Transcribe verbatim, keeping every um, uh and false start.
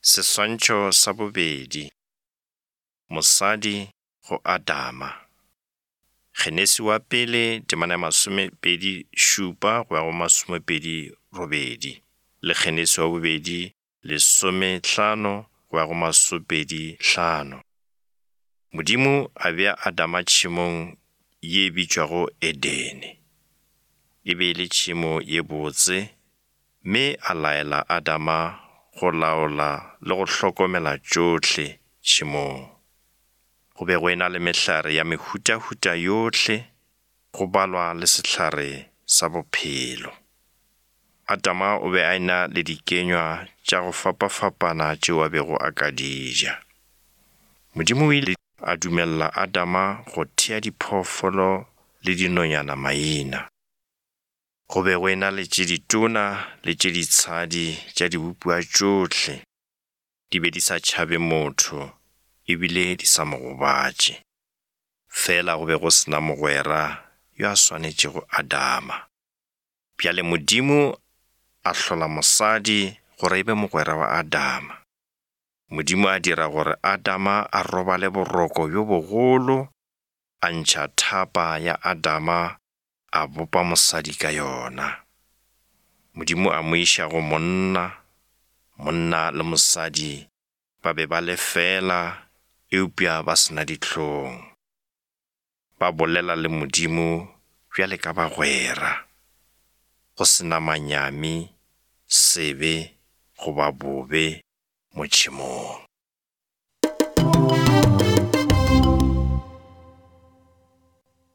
Seswantšho sa bobedi, mosadi go Adama. Genesi wa pele temana ya masomepedi šupa go ya go masomepedi robedi, le Genesi wa bobedi lesomehlano go ya go masomepedi hlano. Modimo a bea Adama tšhemong ye bitšwago Edene. E be e le tšhemo ye botse, mme a laela Adama go laola le go hlokomela tšohle tšhemong. Go be go ena le mehlare ya mehutahuta yohle, go balwa le sehlare sa bophelo. Adama o be a ena le dikenywa tša go fapafapana tšeo a bego a ka di ja. Modimo o ile a dumelela Adama go thea diphoofolo le dinonyana maina. Go be go ena le tše ditona le tše ditshadi tša dibopiwa tšohle. Di be di sa tšhabe motho ebile di sa mo gobatše. Fela go be go se na mogwera yo a swanetšego Adama. Bjale Modimo a hlola mosadi gore e be mogwera wa Adama. Modimo a dira gore Adama a robale boroko bjo bogolo, a ntšha thapa ya Adama a bopa mosadi ka yona. Modimo a mo iša go monna, monna le mosadi ba be ba le fela eupša ba se na dihlong. Ba bolela le Modimo bjale ka bagwera, go se na manyami, sebe goba bobe mo tšhemong.